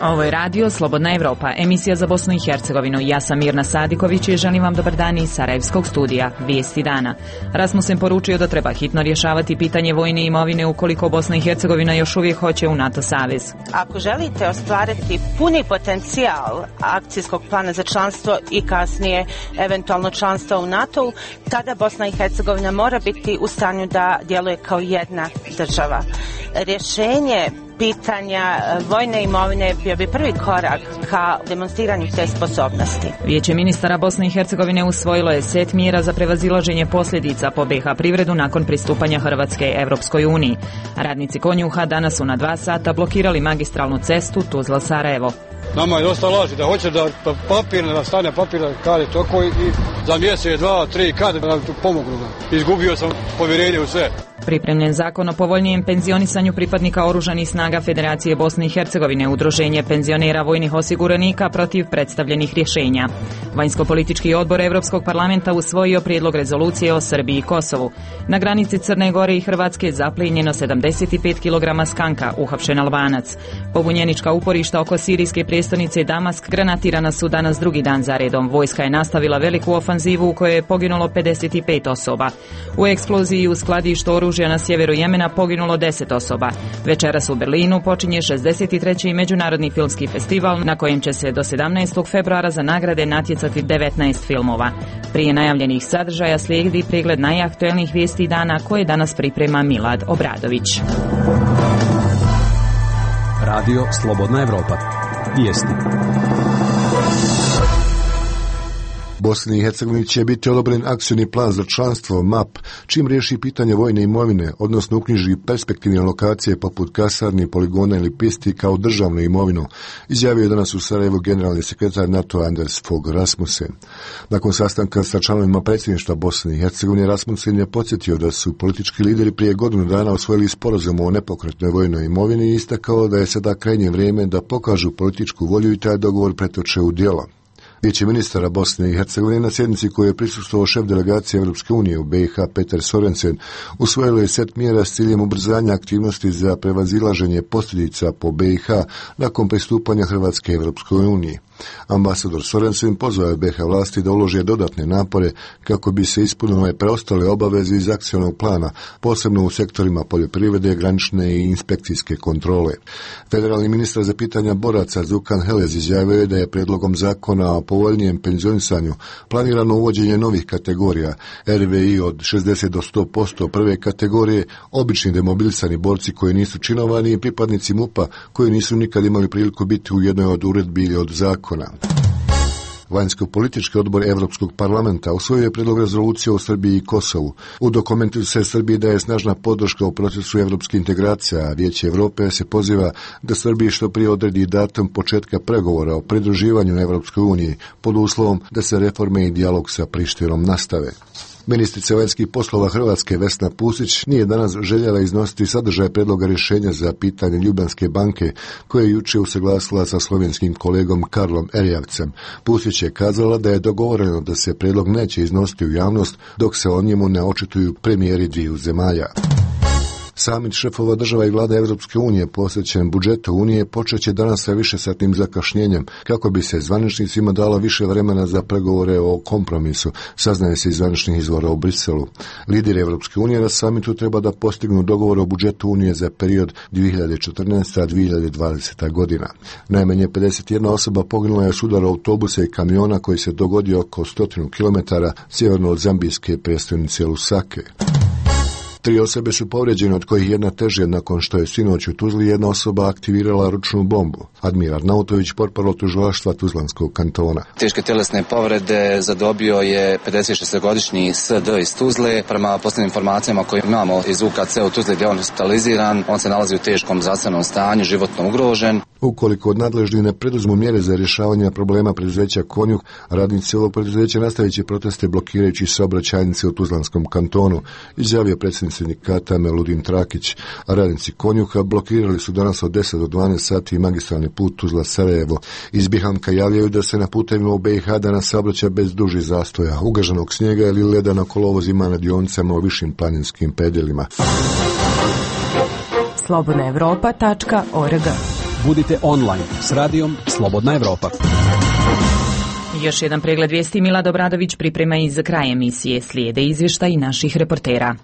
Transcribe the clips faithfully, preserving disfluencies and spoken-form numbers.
Ovo je radio Slobodna Evropa, emisija za Bosnu i Hercegovinu. Ja sam Mirna Sadiković i želim vam dobar dan iz Sarajevskog studija. Vijesti dana. Rasmussen poručio da treba hitno rješavati pitanje vojne imovine ukoliko Bosna i Hercegovina još uvijek hoće u NATO savez. Ako želite ostvariti puni potencijal akcijskog plana za članstvo i kasnije eventualno članstvo u NATO-u, tada Bosna i Hercegovina mora biti u stanju da djeluje kao jedna država. Rješenje pitanja vojne imovine bio bi prvi korak ka demonstriranju te sposobnosti. Vijeće ministara Bosne i Hercegovine usvojilo je set mjera za prevazilaženje posljedica po be ha privredu nakon pristupanja Hrvatske Evropskoj uniji. Radnici Konjuha danas su na dva sata blokirali magistralnu cestu Tuzla-Sarajevo. Nama je dosta laži da hoće da papir, da stane papir, kad je toko i za mjesec, dva, tri, kad da tu pomognu. Izgubio sam povjerenje u sve. Pripremljen zakon o povoljnijem penzionisanju pripadnika oružanih snaga Federacije Bosne i Hercegovine, udruženje penzionera vojnih osiguranika protiv predstavljenih rješenja. Vanjsko-politički odbor Europskog parlamenta usvojio prijedlog rezolucije o Srbiji i Kosovu. Na granici Crne Gore i Hrvatske zaplijenjeno sedamdeset pet kilograma skanka, uhapšen Albanac. Pobunjenička uporišta oko sirijske prijestolnice Damask granatirana su danas drugi dan za redom. Vojska je nastavila veliku ofanzivu u kojoj je poginulo pedeset pet osoba. U eksploziji u skladištu oružja na sjeveru Jemena poginulo deset osoba. Večeras u Berlinu počinje šezdeset treći međunarodni filmski festival na kojem će se do sedamnaestog februara za nagrade natjecati devetnaest filmova. Prije najavljenih sadržaja slijedi pregled najaktuelnijih vijesti dana koje danas priprema Milad Obradović. Radio Slobodna Evropa. Vijesti. Bosni i Hercegovini će biti odobren akcioni plan za članstvo M A P, čim riješi pitanje vojne imovine, odnosno uknjiži perspektivne lokacije poput kasarni, poligona ili pisti kao državnu imovinu, izjavio je danas u Sarajevu generalni sekretar NATO-a Anders Fogh Rasmussen. Nakon sastanka sa članovima predsjedništva Bosne i Hercegovine, Rasmussen je podsjetio da su politički lideri prije godinu dana osvojili sporazum o nepokretnoj vojnoj imovini i istakao da je sada krajnje vrijeme da pokažu političku volju i taj dogovor pretoče u djelo. Vijeće ministara Bosne i Hercegovine na sjednici koju je prisustvovao šef delegacije Europske unije u be ha Peter Sorensen usvojilo je set mjera s ciljem ubrzanja aktivnosti za prevazilaženje posljedica po be ha nakon pristupanja Hrvatske Europskoj uniji. Ambasador Sorensen pozvao je be ha vlasti da ulože dodatne napore kako bi se ispunile preostale obaveze iz akcionog plana, posebno u sektorima poljoprivrede, granične i inspekcijske kontrole. Federalni ministar za pitanja boraca Zukan Helez izjavio je da je prijedlogom zakona o povoljnijem penzionisanju planirano uvođenje novih kategorija er ve i od šezdeset do sto posto prve kategorije, obični demobilisani borci koji nisu činovani i pripadnici M U P-a koji nisu nikad imali priliku biti u jednoj od uredbi ili od zakona. Vanjsko-politički odbor Europskog parlamenta usvojio je prijedlog rezolucije o Srbiji i Kosovu. U dokumentu se Srbiji daje snažna podrška u procesu evropskih integracija, a Vijeće Europe se poziva da Srbiji što prije odredi datum početka pregovora o pridruživanju Europskoj uniji pod uslovom da se reforme i dijalog sa Prištinom nastave. Ministrica vanjskih poslova Hrvatske Vesna Pusić nije danas željela iznositi sadržaj predloga rješenja za pitanje Ljubljanske banke koje je jučer usaglasila sa slovenskim kolegom Karlom Erjavcem. Pusić je kazala da je dogovoreno da se predlog neće iznositi u javnost dok se o njemu ne očituju premijeri dviju zemalja. Samit šefova država i vlada Europske unije posvećen budžetu Unije počeće danas sa višesatnim zakašnjenjem kako bi se zvaničnicima dalo više vremena za pregovore o kompromisu, saznaje se iz zvaničnih izvora u Briselu. Lideri Europske unije na samitu treba da postignu dogovor o budžetu Unije za period dvije hiljade četrnaeste do dvije hiljade dvadesete. godina. Najmanje pedeset jedna osoba poginula je s udara autobusa i kamiona koji se dogodio oko stotinu kilometara sjeverno od zambijske prijestolnice Lusake. Tri osobe su povrijeđene, od kojih jedna teže nakon što je sinoć u Tuzli jedna osoba aktivirala ručnu bombu. Admiral Nautović, portparol tužilaštva Tuzlanskog kantona. Teške tjelesne povrede zadobio je pedesetšestogodišnji es de iz Tuzle. Prema posljednjim informacijama koje imamo iz u ka ce u Tuzli gdje on hospitaliziran, on se nalazi u teškom zdravstvenom stanju, životno ugrožen. Ukoliko od nadležnih ne preduzmu mjere za rješavanje problema preduzeća Konjuh, radnici ovog preduzeća nastavit će proteste blokirajući saobraćajnice u Tuzlanskom kantonu, izjavio predsjednik sindikata Meludin Trakić. Radnici Konjuha blokirali su danas od deset do dvanaest sati magistralni put Tuzla-Sarajevo. Iz Bihanka javljaju da se na putevima u be ha danas saobraća bez dužih zastoja, ugaženog snijega ili leda na kolovozima na dionicama u višim planinskim predjelima. slobodna evropa tačka org Budite online s radijom Slobodna Evropa. Još jedan pregled vijesti. Milad Obradović priprema iz kraja emisije. Slijede izvještaj naših reportera.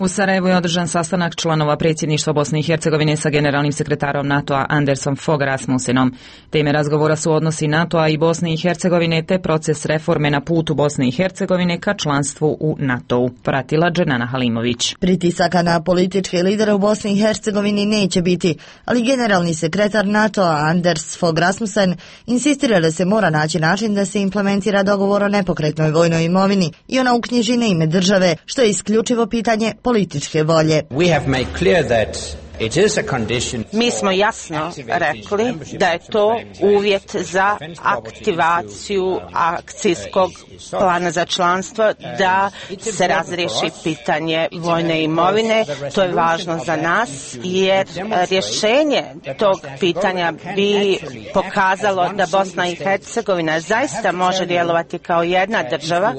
U Sarajevu je održan sastanak članova predsjedništva Bosne i Hercegovine sa generalnim sekretarom NATO-a Andersom Fogh Rasmussenom. Teme razgovora su odnosi NATO-a i Bosne i Hercegovine te proces reforme na putu Bosne i Hercegovine ka članstvu u NATO-u. Pratila Dženana Halimović. Pritisaka na političke lidere u Bosni i Hercegovini neće biti, ali generalni sekretar NATO-a Anders Fogh Rasmussen insistira da se mora naći način da se implementira dogovor o nepokretnoj vojnoj imovini i ona uknjiži na ime države, što je isključivo pitanje političke volje. We have made clear that it is a condition. Mi smo jasno rekli da je to uvjet za aktivaciju akcijskog plana za članstvo, da se razriješi pitanje vojne imovine. To je važno za nas jer rješenje tog pitanja bi pokazalo da Bosna i Hercegovina zaista može djelovati kao jedna država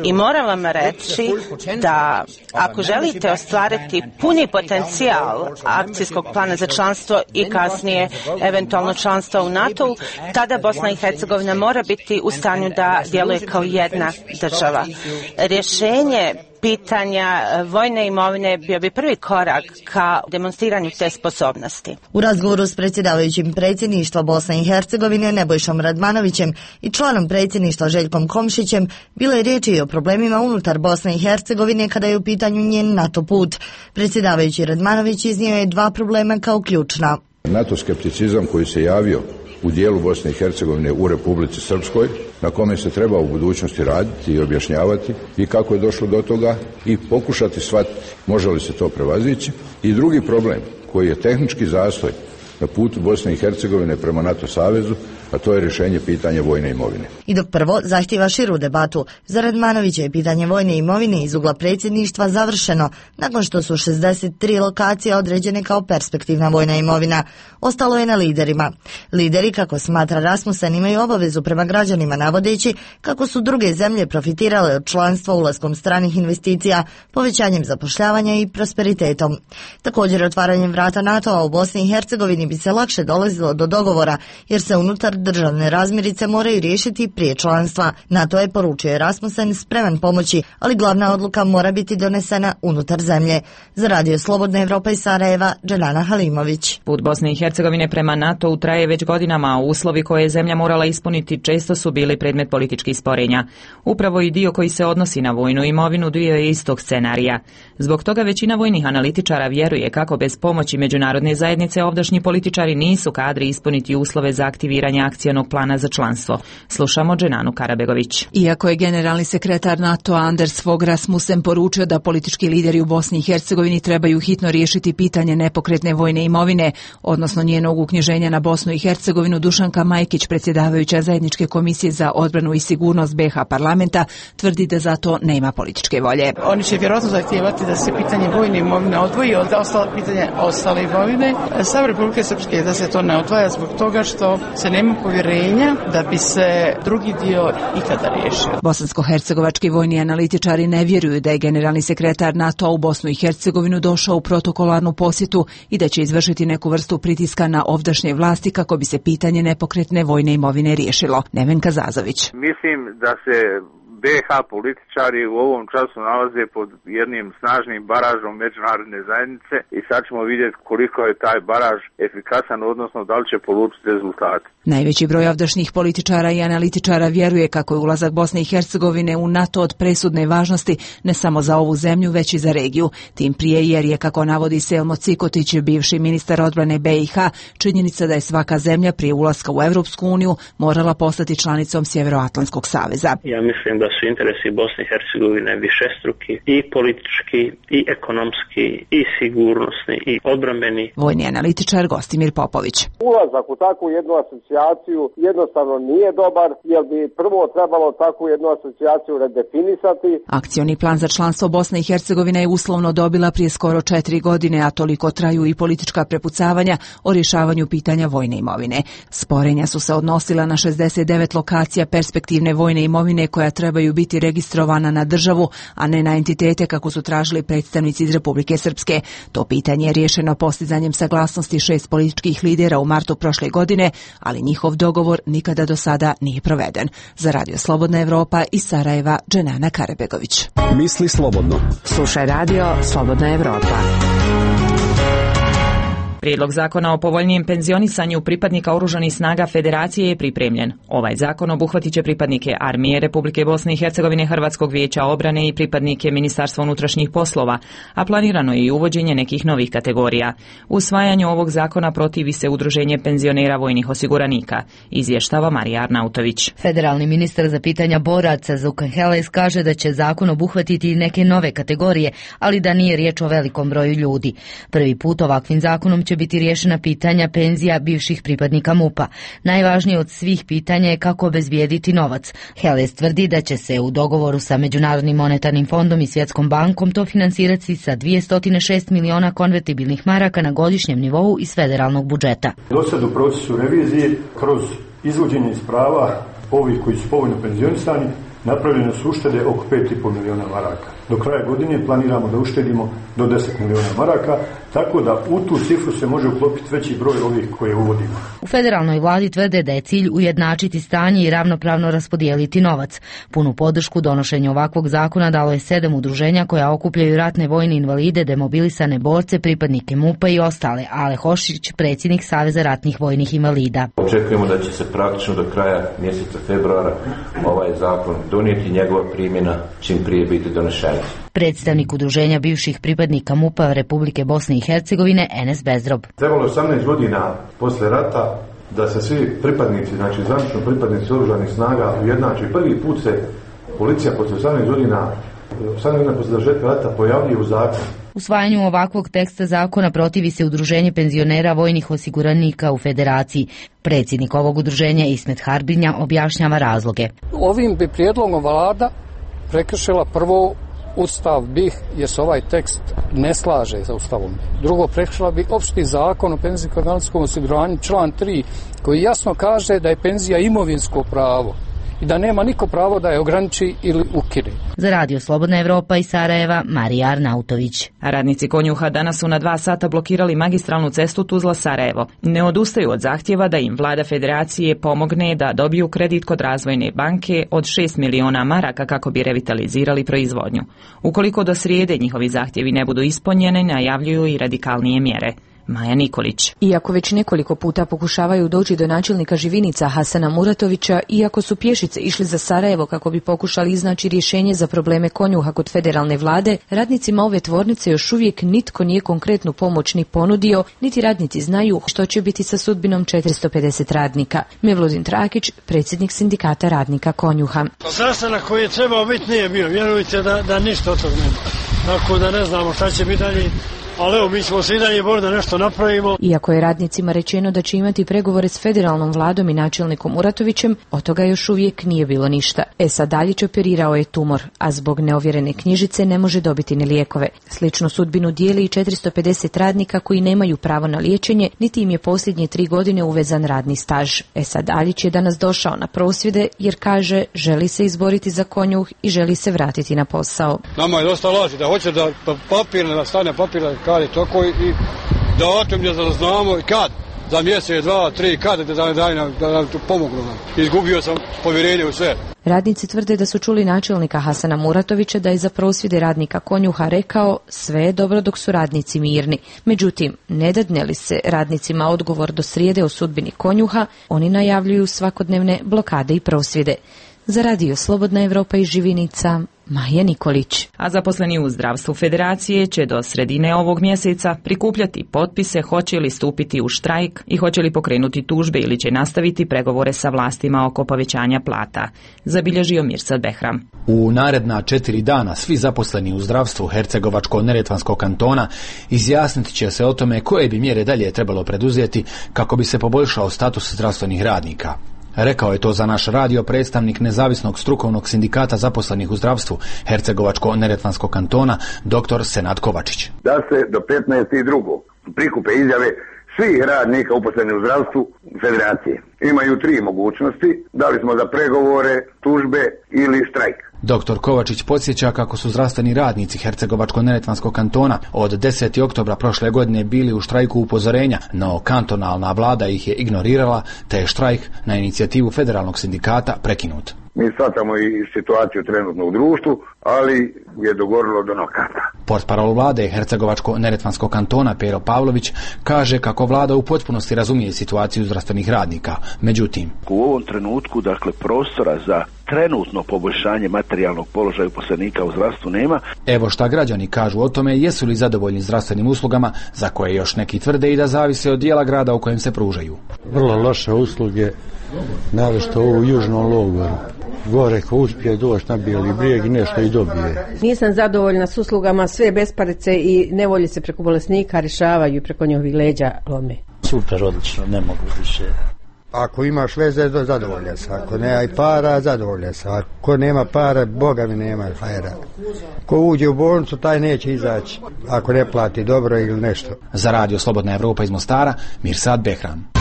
i moram vam reći da ako želite ostvariti puni potencijal akcijskog plana za članstvo i kasnije eventualno članstvo u NATO-u, tada Bosna i Hercegovina mora biti u stanju da djeluje kao jedna država. Rješenje pitanja vojne imovine bio bi prvi korak ka demonstriranju te sposobnosti. U razgovoru s predsjedavajućim predsjedništva Bosne i Hercegovine Nebojšom Radmanovićem i članom predsjedništva Željkom Komšićem bilo je riječi i o problemima unutar Bosne i Hercegovine kada je u pitanju njen NATO put. Predsjedavajući Radmanović iznio je dva problema kao ključna. NATO skepticizam koji se javio u dijelu Bosne i Hercegovine u Republici Srpskoj, na kome se treba u budućnosti raditi i objašnjavati i kako je došlo do toga i pokušati shvatiti može li se to prevazići. I drugi problem koji je tehnički zastoj na putu Bosne i Hercegovine prema NATO savezu, a to je rješenje pitanja vojne imovine. I dok prvo zahtjeva širu debatu, za Radmanovića je pitanje vojne imovine iz ugla predsjedništva završeno nakon što su šezdeset tri lokacije određene kao perspektivna vojna imovina. Ostalo je na liderima. Lideri, kako smatra Rasmussen, imaju obavezu prema građanima navodeći kako su druge zemlje profitirale od članstva ulaskom stranih investicija, povećanjem zapošljavanja i prosperitetom. Također, otvaranjem vrata NATO-a u Bosni i Hercegovini bi se lakše dolazilo do dogovora, jer se unutar državne razmirice moraju riješiti prije članstva. NATO je, poručio Rasmussen, spreman pomoći, ali glavna odluka mora biti donesena unutar zemlje. Za Radio Slobodna Evropa iz Sarajeva, Dženana Halimović. Put Bosne i Hercegovine prema NATO-u traje već godinama, a uslovi koje je zemlja morala ispuniti često su bili predmet političkih sporenja. Upravo i dio koji se odnosi na vojnu imovinu dio je istog scenarija. Zbog toga većina vojnih analitičara vjeruje kako bez pomoći međunarodne zajednice ovdašnji političari nisu kadri ispuniti uslove za aktiviranje akcijnog plana za članstvo. Slušamo Dženanu Karabegović. Iako je generalni sekretar NATO-a Anders Fogh Rasmussen poručio da politički lideri u Bosni i Hercegovini trebaju hitno riješiti pitanje nepokretne vojne imovine, odnosno njenog uknjiženja na Bosnu i Hercegovinu, Dušanka Majkić, predsjedavajuća zajedničke komisije za odbranu i sigurnost B H parlamenta, tvrdi da za to nema političke volje. Oni će vjerojatno zahtijevati da se pitanje vojne imovine odvoji od ostale pitanje ostale imovine. Stav Republike Srpske je da se to ne odvaja zbog toga što se nema povjerenja da bi se drugi dio ikada riješio. Bosansko-hercegovački vojni analitičari ne vjeruju da je generalni sekretar NATO u Bosnu i Hercegovinu došao u protokolarnu posjetu i da će izvršiti neku vrstu pritiska na ovdašnje vlasti kako bi se pitanje nepokretne vojne imovine riješilo. Nevenka Zazović. Mislim da se B H političari u ovom času nalaze pod jednim snažnim baražom međunarodne zajednice i sad ćemo vidjeti koliko je taj baraž efikasan, odnosno da li će polučiti rezultate. Najveći broj ovdašnjih političara i analitičara vjeruje kako je ulazak Bosne i Hercegovine u NATO od presudne važnosti ne samo za ovu zemlju, već i za regiju. Tim prije jer je, kako navodi Selmo Cikotić, bivši ministar odbrane B i H, činjenica da je svaka zemlja prije ulaska u Evropsku uniju morala postati članicom Sjevernoatlantskog saveza. Ja mislim da su interesi Bosne i Hercegovine višestruki, i politički, i ekonomski, i sigurnosni, i odbrambeni. Vojni analitičar Gostimir Popović. Ulazak u takvu jednu asocijaciju jednostavno nije dobar, jer bi prvo trebalo takvu jednu asocijaciju redefinisati. Akcioni plan za članstvo Bosne i Hercegovine je uslovno dobila prije skoro četiri godine, a toliko traju i politička prepucavanja o rješavanju pitanja vojne imovine. Sporenja su se odnosila na šezdeset devet lokacija perspektivne vojne imovine koja treba trebaju biti registrovana na državu, a ne na entitete kako su tražili predstavnici iz Republike Srpske. To pitanje je riješeno postizanjem saglasnosti šest političkih lidera u martu prošle godine, ali njihov dogovor nikada do sada nije proveden. Za Radio Slobodna Evropa iz Sarajeva, Dženana Karebegović. Misli slobodno. Slušaj Radio Slobodna Evropa. Prijedlog zakona o povoljnijem penzionisanju pripadnika oružanih snaga Federacije je pripremljen. Ovaj zakon obuhvatit će pripadnike Armije Republike Bosne i Hercegovine, Hrvatskog vijeća obrane i pripadnike Ministarstva unutrašnjih poslova, a planirano je i uvođenje nekih novih kategorija. Usvajanju ovog zakona protivi se Udruženje penzionera vojnih osiguranika, izvještava Marija Arnautović. Federalni ministar za pitanja boraca Zukan Heles kaže da će zakon obuhvatiti i neke nove kategorije, ali da nije riječ o velikom broju ljudi. Prvi put ovakvim zakonom će biti riješena pitanja penzija bivših pripadnika MUP-a. Najvažnije od svih pitanja je kako obezbijediti novac. Heles tvrdi da će se u dogovoru sa Međunarodnim monetarnim fondom i Svjetskom bankom to finansirati sa dvjesto šest miliona konvertibilnih maraka na godišnjem nivou iz federalnog budžeta. Dosad u procesu revizije kroz izvođenje iz prava ovih koji su povoljno penzionisani napravljene su uštede oko pet i pol miliona maraka. Do kraja godine planiramo da uštedimo do deset miliona maraka, tako da u tu cifru se može uklopiti veći broj ovih koje uvodimo. U federalnoj vladi tvrde da je cilj ujednačiti stanje i ravnopravno raspodijeliti novac. Punu podršku donošenju ovakvog zakona dalo je sedam udruženja koja okupljaju ratne vojne invalide, demobilisane borce, pripadnike MUP-a i ostale. Ale Hošić, predsjednik Saveza ratnih vojnih invalida. Očekujemo da će se praktično do kraja mjeseca februara ovaj zakon donijeti i njegova primjena čim prije biti donešena. Predstavnik udruženja bivših pripadnika MUP-a Republike Bosne i Hercegovine Enes Bezrob. Trebalo je osamnaest godina posle rata da se svi pripadnici, znači zvanično pripadnici oružanih snaga ujednače. Prvi put se policija posle osamnaest godina, osamnaest godina posle završetka rata pojavljuje u zakonu. Usvajanju ovakvog teksta zakona protivi se Udruženje penzionera vojnih osiguranika u Federaciji. Predsjednik ovog udruženja Ismet Harbinja objašnjava razloge. Ovim bi prijedlogom vlada prekršila prvo Ustav B I H jer se ovaj tekst ne slaže sa Ustavom. Drugo, prekršila bi opšti zakon o penzijsko-invalidskom osiguranju član tri koji jasno kaže da je penzija imovinsko pravo i da nema niko pravo da je ograniči ili ukine. Za Radio Slobodna Evropa iz Sarajeva, Marija Arnautović. Radnici Konjuha danas su na dva sata blokirali magistralnu cestu Tuzla-Sarajevo. Ne odustaju od zahtjeva da im vlada Federacije pomogne da dobiju kredit kod Razvojne banke od šest miliona maraka kako bi revitalizirali proizvodnju. Ukoliko do srijede njihovi zahtjevi ne budu ispunjeni, najavljuju i radikalnije mjere. Maja Nikolić. Iako već nekoliko puta pokušavaju doći do načelnika Živinica Hasana Muratovića, iako su pješice išli za Sarajevo kako bi pokušali iznaći rješenje za probleme Konjuha kod federalne vlade, radnicima ove tvornice još uvijek nitko nije konkretnu pomoć ni ponudio, niti radnici znaju što će biti sa sudbinom četiristo pedeset radnika. Mevludin Trakić, predsjednik sindikata radnika Konjuha. Sastanak koji je trebao biti nije bio, vjerujte da, da ništa od toga nema. Tako da ne znamo šta će biti dalje. Ali evo, mi ćemo se i dalje boriti da nešto napravimo. Iako je radnicima rečeno da će imati pregovore s federalnom vladom i načelnikom Muratovićem, od toga još uvijek nije bilo ništa. Esad Daljić operirao je tumor, a zbog neovjerene knjižice ne može dobiti ni lijekove. Sličnu sudbinu dijeli i četiristo pedeset radnika koji nemaju pravo na liječenje, niti im je posljednje tri godine uvezan radni staž. Esad Daljić je danas došao na prosvjede jer kaže želi se izboriti za Konjuh i želi se vratiti na posao. Nama je dosta laži da hoće da papir, da stane papir, kad je tako i datum je da znamo i kad, za mjesec, dva, tri, kad da, da, da, da nam tu pomognu. Izgubio sam povjerenje u sve. Radnici tvrde da su čuli načelnika Hasana Muratovića da je za prosvjede radnika Konjuha rekao sve je dobro dok su radnici mirni. Međutim, ne dadne li se radnicima odgovor do srijede o sudbini Konjuha, oni najavljuju svakodnevne blokade i prosvjede. Za Radio Slobodna Evropa iz Živinica, Maja Nikolić. A zaposleni u zdravstvu Federacije će do sredine ovog mjeseca prikupljati potpise hoće li stupiti u štrajk i hoće li pokrenuti tužbe ili će nastaviti pregovore sa vlastima oko povećanja plata, zabilježio Mirsad Behram. U naredna četiri dana svi zaposleni u zdravstvu Hercegovačko-neretvanskog kantona izjasniti će se o tome koje bi mjere dalje trebalo preduzeti kako bi se poboljšao status zdravstvenih radnika. Rekao je to za naš radio predstavnik nezavisnog strukovnog sindikata zaposlenih u zdravstvu Hercegovačko-neretvanskog kantona, dr. Senad Kovačić. Da se do petnaestog drugog prikupe izjave svih radnika uposlenih u zdravstvu federacije. Imaju tri mogućnosti, dali smo za pregovore, tužbe ili štrajk. Doktor Kovačić podsjeća kako su zdravstveni radnici Hercegovačko-neretvanskog kantona od desetog oktobra prošle godine bili u štrajku upozorenja, no kantonalna vlada ih je ignorirala, te je štrajk na inicijativu federalnog sindikata prekinut. Mi shvatamo i situaciju trenutno u društvu, ali je dogorilo do nokata. Portparol vlade Hercegovačko-neretvanskog kantona Pero Pavlović kaže kako vlada u potpunosti razumije situaciju zdravstvenih radnika. Međutim, u ovom trenutku, dakle, prostora za trenutno poboljšanje materijalnog položaja uposlenika u zdravstvu nema. Evo šta građani kažu o tome, jesu li zadovoljni zdravstvenim uslugama, za koje još neki tvrde i da zavise od dijela grada u kojem se pružaju. Vrlo loše usluge, naročito u južnom logoru. Gore ko uspije doći na Bijeli brijeg i nešto i dobije. Nisam zadovoljna s uslugama, sve besparice i nevolje se preko bolesnika rješavaju i preko njihovih leđa lome. Super, odlično, ne mogu više. Ako imaš veze, zadovolja se. Ako nema i para, zadovolja se. Ako nema para, Boga mi nema hajera. Ko uđe u bolnicu, taj neće izaći. Ako ne plati dobro ili nešto. Za radio Slobodna Evropa iz Mostara, Mirsad Behram.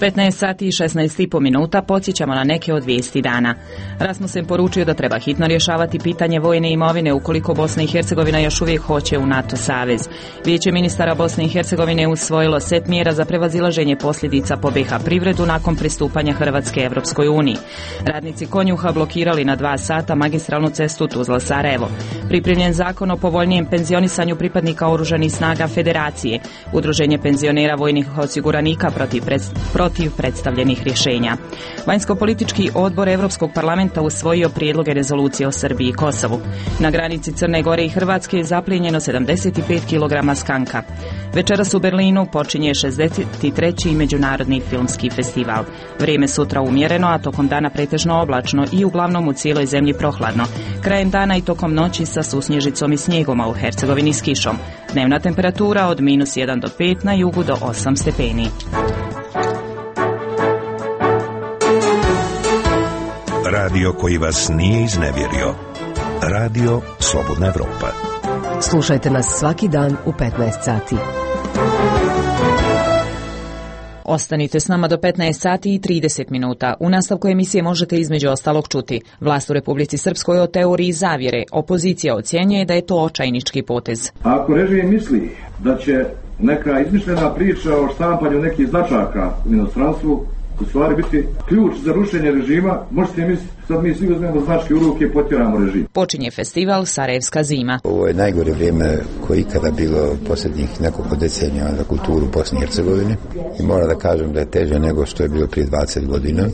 petnaest sati i šesnaest i po minuta podsjećamo na neke od vijesti dana. Rasmussen poručio da treba hitno rješavati pitanje vojne imovine ukoliko Bosna i Hercegovina još uvijek hoće u NATO savez. Vijeće ministara Bosne i Hercegovine usvojilo set mjera za prevazilaženje posljedica po be ha privredu nakon pristupanja Hrvatske Evropskoj uniji. Radnici Konjuha blokirali na dva sata magistralnu cestu Tuzla-Sarajevo. Pripremljen zakon o povoljnijem penzionisanju pripadnika oružanih snaga Federacije. Udruženje penzionera vojnih osiguranika protiv predstavljanja protiv predstavljenih rješenja. Vanjsko-politički odbor Europskog parlamenta usvojio prijedloge rezolucije o Srbiji i Kosovu. Na granici Crne Gore i Hrvatske je zaplijenjeno sedamdeset pet kilograma skanka. Večeras u Berlinu počinje šezdeset treći međunarodni filmski festival. Vrijeme sutra umjereno, a tokom dana pretežno oblačno i uglavnom u cijeloj zemlji prohladno. Krajem dana i tokom noći sa susnježicom i snijegom, a u Hercegovini s kišom. Dnevna temperatura od minus jedan do pet, na jugu do osam stepeni. Radio koji vas nije iznevjerio. Radio Slobodna Evropa. Slušajte nas svaki dan u petnaest sati. Ostanite s nama do petnaest sati i trideset minuta. U nastavku emisije možete između ostalog čuti: vlast u Republici Srpskoj o teoriji zavjere. Opozicija ocjenjuje da je to očajnički potez. Ako režim misli da će neka izmišljena priča o štampanju nekih značaka u inostranstvu u stvari biti ključ za rušenje režima, možete misliti, sad mi svi uzmemo značke u ruke i potjeramo režim. Počinje festival Sarajevska zima. Ovo je najgore vrijeme koje ikada bilo posljednjih nekoliko decenija za kulturu Bosne i Hercegovine i moram da kažem da je teže nego što je bilo prije dvadeset godina.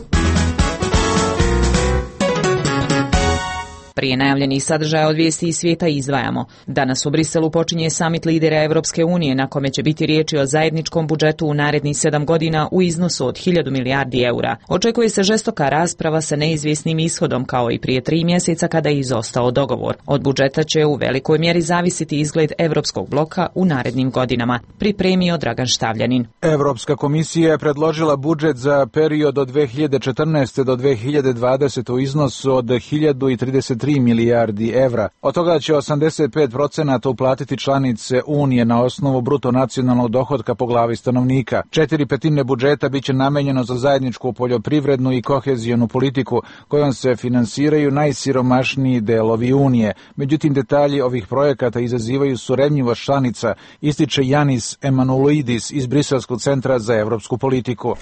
Prije najavljenih sadržaja od vijesti iz svijeta izdvajamo. Danas u Briselu počinje samit lidera Evropske unije, na kome će biti riječi o zajedničkom budžetu u narednih sedam godina u iznosu od hiljadu milijardi eura. Očekuje se žestoka rasprava sa neizvjesnim ishodom, kao i prije tri mjeseca kada je izostao dogovor. Od budžeta će u velikoj mjeri zavisiti izgled Evropskog bloka u narednim godinama, pripremio Dragan Štavljanin. Evropska komisija je predložila budžet za period od dve hiljade četrnaeste do dve hiljade dvadesete u iznosu od hiljadu trideset tri milijardi evra. Od toga će osamdeset pet procenata uplatiti članice Unije na osnovu bruto nacionalnog dohotka po glavi stanovnika. Četiri petine budžeta biće namenjeno za zajedničku poljoprivrednu i kohezijonu politiku, kojom se finansiraju najsiromašniji delovi Unije. Međutim, detalji ovih projekata izazivaju surevnjivost članica, ističe Janis Emanuelidis iz Briselskog centra za evropsku politiku.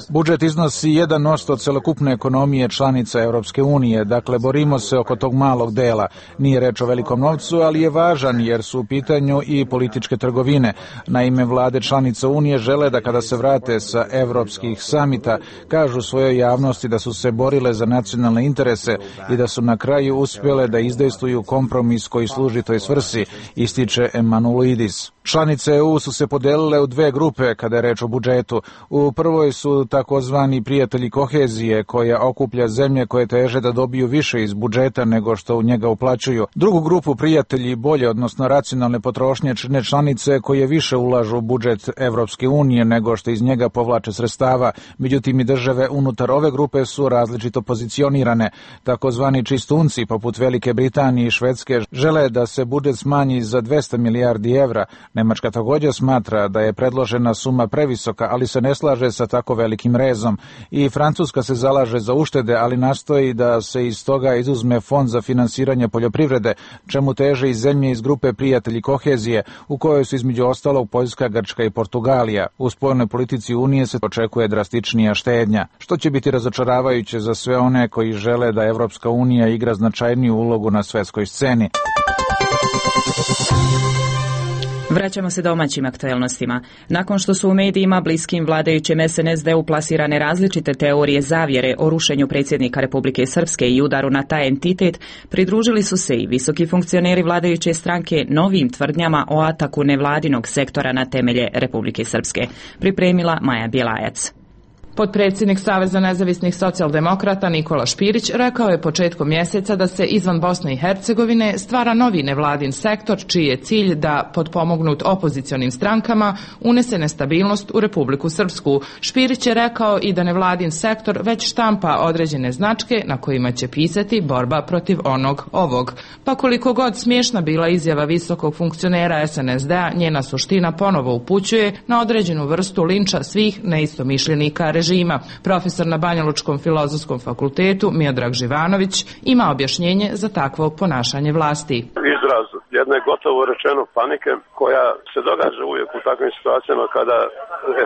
Budžet iznosi jedan posto celokupne ekonomije članica Evropske unije, dakle borimo se oko tog malog dela. Nije reč o velikom novcu, ali je važan jer su u pitanju i političke trgovine. Naime, vlade članica Unije žele da kada se vrate sa evropskih samita, kažu svojoj javnosti da su se borile za nacionalne interese i da su na kraju uspjele da izdejstvuju kompromis koji služi toj svrsi, ističe Emanuelidis. Članice E U su se podelile u dve grupe kada je reč o budžetu. U prvoj su takozvani prijatelji kohezije, koja okuplja zemlje koje teže da dobiju više više iz budžeta nego što u njega uplaćuju. Drugu grupu prijatelji bolje, odnosno racionalne potrošnje čine članice koje više ulažu u budžet Evropske unije nego što iz njega povlače sredstava. Međutim, i države unutar ove grupe su različito pozicionirane. Takozvani čistunci, poput Velike Britanije i Švedske, žele da se budžet smanji za dvesta milijardi evra. Nemačka također smatra da je predložena suma previsoka, ali se ne slaže sa tako velikim rezom. I Francuska se zalaže za uštede, ali nastoji da se iz toga izuzme fond za finansiranje poljoprivrede, čemu teže i zemlje iz grupe prijatelji kohezije, u kojoj su između ostalog Poljska, Grčka i Portugalija. U spoljnoj politici Unije se očekuje drastičnija štednja, što će biti razočaravajuće za sve one koji žele da Evropska unija igra značajniju ulogu na svjetskoj sceni. Vraćamo se domaćim aktuelnostima. Nakon što su u medijima bliskim vladajućem es en es de u plasirane različite teorije zavjere o rušenju predsjednika Republike Srpske i udaru na taj entitet, pridružili su se i visoki funkcioneri vladajuće stranke novim tvrdnjama o ataku nevladinog sektora na temelje Republike Srpske. Pripremila Maja Bjelajac. Potpredsjednik Saveza nezavisnih socijaldemokrata Nikola Špirić rekao je početkom mjeseca da se izvan Bosne i Hercegovine stvara novi nevladin sektor čiji je cilj da, potpomognut opozicionim strankama, unese nestabilnost u Republiku Srpsku. Špirić je rekao i da nevladin sektor već štampa određene značke na kojima će pisati borba protiv onog ovog. Pa koliko god smiješna bila izjava visokog funkcionera es en es de-a, njena suština ponovo upućuje na određenu vrstu linča svih neistomišljenika režima. Režima. Profesor na Banjalučkom filozofskom fakultetu Miodrag Živanović ima objašnjenje za takvo ponašanje vlasti. Izraz jedne gotovo rečeno panike koja se događa uvijek u takvim situacijama kada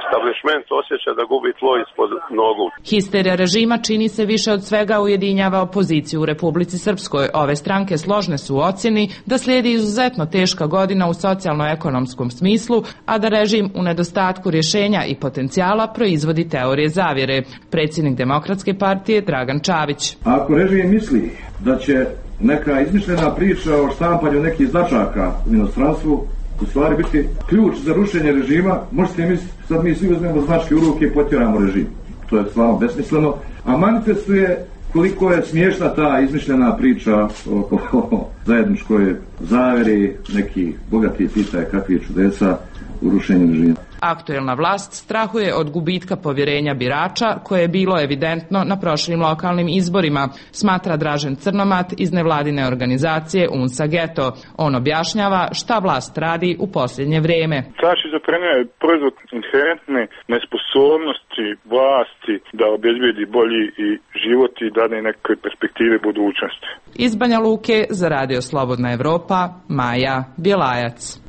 establishment osjeća da gubi tlo ispod nogu. Histerija režima čini se više od svega ujedinjava opoziciju u Republici Srpskoj. Ove stranke složne su u ocjeni da slijedi izuzetno teška godina u socijalno-ekonomskom smislu, a da režim u nedostatku rješenja i potencijala proizvodi teorije zavjere. Predsjednik Demokratske partije Dragan Čavić. Ako režim misli da će neka izmišljena priča o štampanju nekih značaka u inostranstvu u stvari biti ključ za rušenje režima, možete misliti, sad mi svi uzmemo značke u ruke i potjeramo režim. To je stvarno besmisleno, a manifestuje koliko je smiješna ta izmišljena priča o, o, o zajedničkoj zavjeri, neki bogati pitaju kakvi čudesa u rušenju režima. Aktuelna vlast strahuje od gubitka povjerenja birača koje je bilo evidentno na prošlim lokalnim izborima, smatra Dražen Crnomat iz nevladine organizacije UNSA Geto. On objašnjava šta vlast radi u posljednje vrijeme. Ta šizofrenija je proizvod inherentne nesposobnosti vlasti da obezbedi bolji i život i dane neke perspektive budućnosti. Iz Banja Luke za Radio Slobodna Evropa, Maja Bjelajac.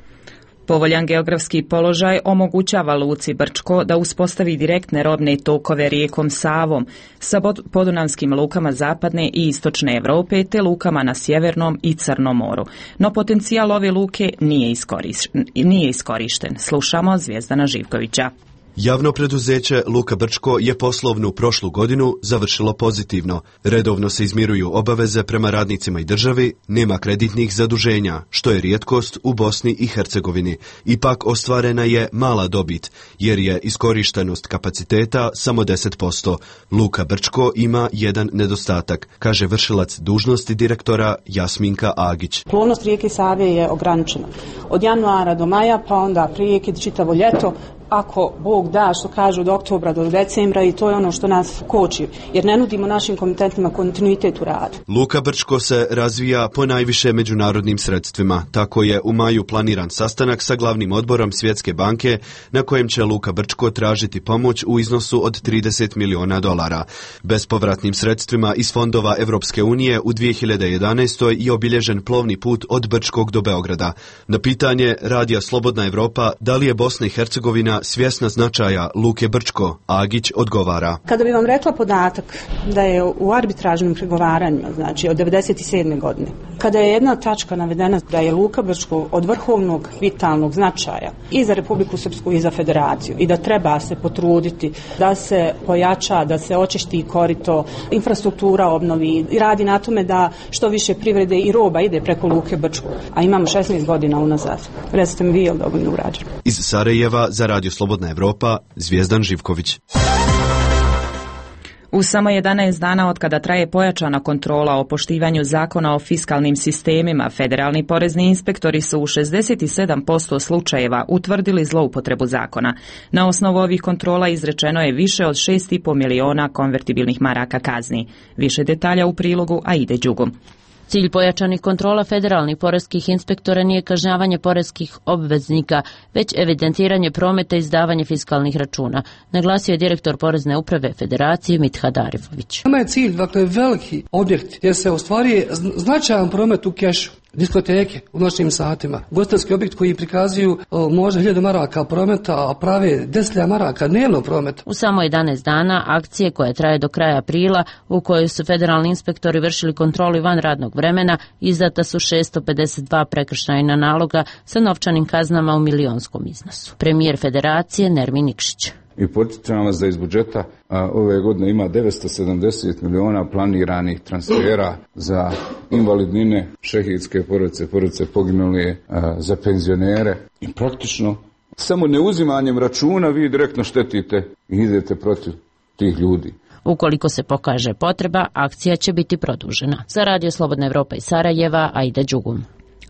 Povoljan geografski položaj omogućava luci Brčko da uspostavi direktne robne tokove rijekom Savom sa podunavskim lukama zapadne i istočne Europe te lukama na Sjevernom i Crnom moru. No potencijal ove luke nije iskorišten. Nije iskorišten. Slušamo Zvijezdana Živkovića. Javno preduzeće Luka Brčko je poslovnu prošlu godinu završilo pozitivno. Redovno se izmiruju obaveze prema radnicima i državi, nema kreditnih zaduženja, što je rijetkost u Bosni i Hercegovini. Ipak ostvarena je mala dobit, jer je iskorištenost kapaciteta samo deset posto. Luka Brčko ima jedan nedostatak, kaže vršilac dužnosti direktora Jasminka Agić. Plovnost rijeke Save je ograničena. Od januara do maja, pa onda prijeke čitavo ljeto, ako Bog da, što kažu, od oktobra do decembra, i to je ono što nas koči, jer ne nudimo našim komitentima kontinuitet u radu. Luka Brčko se razvija po najviše međunarodnim sredstvima. Tako je u maju planiran sastanak sa glavnim odborom Svjetske banke na kojem će Luka Brčko tražiti pomoć u iznosu od trideset miliona dolara. Bespovratnim sredstvima iz fondova Evropske unije u dvije hiljade jedanaestoj je obilježen plovni put od Brčkog do Beograda. Na pitanje Radija Slobodna Evropa da li je Bosna i Hercegovina svjesna značaja Luke Brčko, Agić odgovara. Kada bi vam rekla podatak da je u arbitražnim pregovaranjima, znači od devedeset sedme godine, kada je jedna tačka navedena da je Luka Brčko od vrhovnog vitalnog značaja i za Republiku Srpsku i za Federaciju i da treba se potruditi da se pojača, da se očisti korito, infrastruktura obnovi i radi na tome da što više privrede i roba ide preko Luke Brčko, a imamo šesnaest godina unazad. Recite mi vi, je li dovoljno urađeno? Iz Sarajeva za Radio Slobodna Evropa, Zvijezdan Živković. U samo jedanaest dana od kada traje pojačana kontrola o poštivanju zakona o fiskalnim sistemima, federalni porezni inspektori su u šezdeset sedam posto slučajeva utvrdili zloupotrebu zakona. Na osnovu ovih kontrola izrečeno je više od šest i po miliona konvertibilnih maraka kazni. Više detalja u prilogu Aide Đugu. Cilj pojačanih kontrola federalnih poreskih inspektora nije kažnjavanje poreskih obveznika, već evidentiranje prometa i izdavanje fiskalnih računa, naglasio je direktor Porezne uprave Federacije Mithat Arifović. Nama je cilj, dakle, veliki objekt gdje se ostvaruje značajan promet u kešu. Diskoteke u noćnim satima, ugostiteljski objekt koji prikazuju o, možda hiljadu maraka prometa, a prave deset maraka dnevno prometa. U samo jedanaest dana akcije koja traje do kraja aprila, u kojoj su federalni inspektori vršili kontrolu van radnog vremena, izdata su šesto pedeset dva prekršajna naloga sa novčanim kaznama u milionskom iznosu. Premijer Federacije Nermin Nikšić. I podsjećam vas da iz budžeta a, ove godine ima devetsto sedamdeset miliona planiranih transfera za invalidnine, šehidske porodice, porodice poginule, a, za penzionere. I praktično samo neuzimanjem računa vi direktno štetite i idete protiv tih ljudi. Ukoliko se pokaže potreba, akcija će biti produžena. Za Radio Slobodna Evropa iz Sarajeva, Aida Đugum.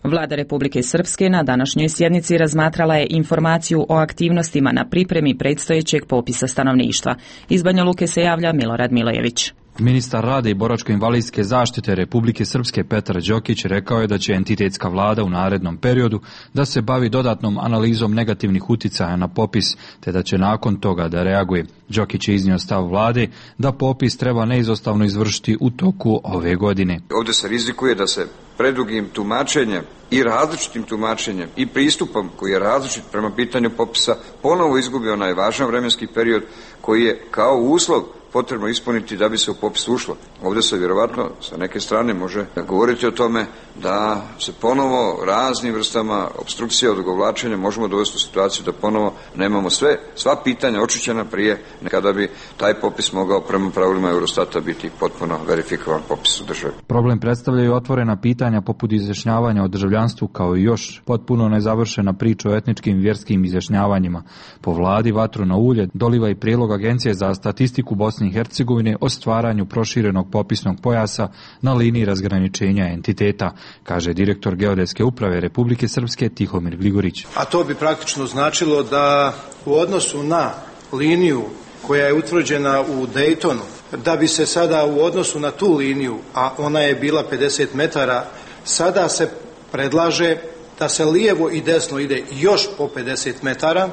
Vlada Republike Srpske na današnjoj sjednici razmatrala je informaciju o aktivnostima na pripremi predstojećeg popisa stanovništva. Iz Banja Luke se javlja Milorad Milojević. Ministar rada i boračko-invalidske zaštite Republike Srpske Petar Đokić rekao je da će entitetska vlada u narednom periodu da se bavi dodatnom analizom negativnih uticaja na popis, te da će nakon toga da reaguje. Đokić je iznio stav vlade da popis treba neizostavno izvršiti u toku ove godine. Ovdje se rizikuje da se predugim tumačenjem i različitim tumačenjem i pristupom koji je različit prema pitanju popisa ponovo izgubi onaj važan vremenski period koji je kao uslov potrebno ispuniti da bi se u popis ušlo. Ovdje se vjerovatno sa neke strane može govoriti o tome da se ponovo raznim vrstama obstrukcije, odugovlačenja možemo dovesti u situaciju da ponovo nemamo sve, sva pitanja očišćena prije kada bi taj popis mogao prema pravilima Eurostata biti potpuno verifikovan popis u državi. Problem predstavljaju otvorena pitanja poput izjašnjavanja o državljanstvu kao i još potpuno nezavršena priča o etničkim i vjerskim izjašnjavanjima. Po vladi vatru na ulje doliva i prijedlog Agencije za statistiku Bosne i Hercegovine o stvaranju proširenog popisnog pojasa na liniji razgraničenja entiteta, kaže direktor Geodetske uprave Republike Srpske Tihomir Gligorić. A to bi praktično značilo da u odnosu na liniju koja je utvrđena u Daytonu, da bi se sada u odnosu na tu liniju, a ona je bila pedeset metara, sada se predlaže da se lijevo i desno ide još po pedeset metara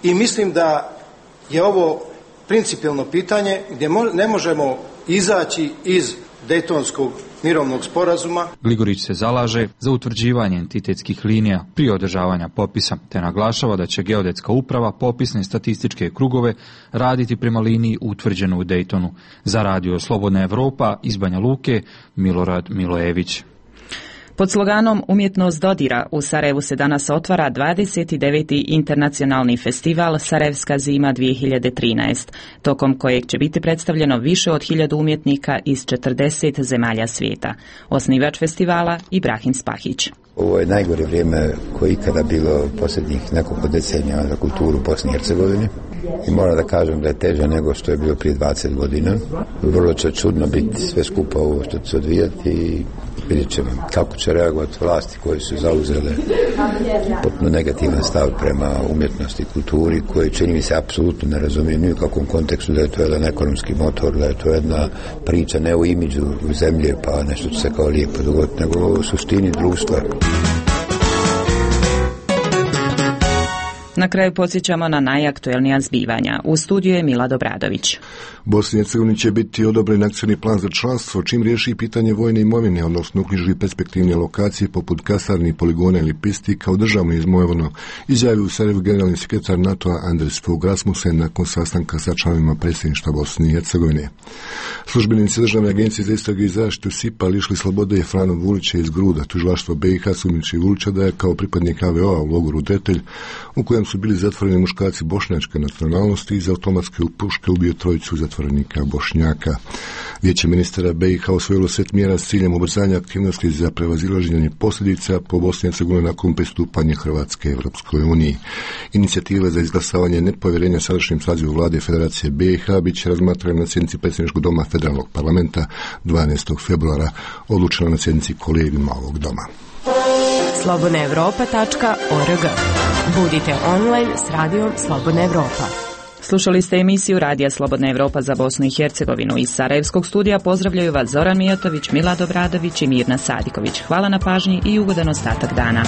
i mislim da je ovo principijelno pitanje gdje ne možemo izaći iz Dejtonskog mirovnog sporazuma. Gligorić se zalaže za utvrđivanje entitetskih linija prije održavanja popisa, te naglašava da će Geodetska uprava popisne statističke krugove raditi prema liniji utvrđenu u Dejtonu. Za Radio Slobodna Evropa iz Banja Luke, Milorad Milojević. Pod sloganom Umjetnost dodira u Sarajevu se danas otvara dvadeset deveti internacionalni festival Sarajevska zima dvije hiljade trinaest, tokom kojeg će biti predstavljeno više od hiljadu umjetnika iz četrdeset zemalja svijeta. Osnivač festivala Ibrahim Spahić. Ovo je najgore vrijeme koje ikada bilo posljednjih nekoliko decenija za kulturu Bosne i Hercegovine i moram da kažem da je teže nego što je bilo prije dvadeset godina. Vrlo će čudno biti sve skupa ovo što će se odvijati i vidjet ćemo kako će reagovati vlasti koje su zauzele potpuno negativan stav prema umjetnosti i kulturi koji čini mi se apsolutno ne razumiju ni u kakvom kontekstu da je to jedan ekonomski motor, da je to jedna priča ne u imidžu zemlje pa nešto će se kao lijepo dogoditi, nego u suštini društva. Na kraju podsjećamo na najaktuelnija zbivanja. U studiju je Mila Dobradović. Bosni i Hercegovini će biti odobren akcioni plan za članstvo, čim riješi pitanje vojne imovine, odnosno uknjiži perspektivne lokacije poput kasarni, poligona ili pisti kao državno imovino, izjavio u Sarajevu generalni sekretar NATO-a Anders Fogh Rasmussen nakon sastanka sa članovima predsjedništva Bosne i Hercegovine. Službenici Državne agencije za istrage i zaštitu S I P-a lišili slobode Franu Vulića iz Gruda. Tužilaštvo B i H sumnjiči Vulića da je kao pripadnik A V O-a u logoru Detelj, u kojem dan su bili zatvoreni muškarci bošnjačke nacionalnosti i iz automatske puške ubio trojicu zatvorenika Bošnjaka. Vijeće ministara B i H osvojilo set mjera s ciljem ubrzanja aktivnosti za prevazilaženje posljedica po Bosni i Hercegovini nakon pristupanja Hrvatske Evropskoj uniji. Inicijativa za izglasavanje nepovjerenja sadašnjem sazivu vlade Federacije B i H bit će razmatrana na sjednici predsjedničkog doma Federalnog parlamenta dvanaestog februara, odlučena na sjednici kolegijuma ovog doma. slobodna europa tačka org. Budite online s radijom Slobodna Evropa. Slušali ste emisiju Radija Slobodna Evropa za Bosnu i Hercegovinu. Iz Sarajevskog studija pozdravljaju vas Zoran Mijatović, Milad Obradović i Mirna Sadiković. Hvala na pažnji i ugodan ostatak dana.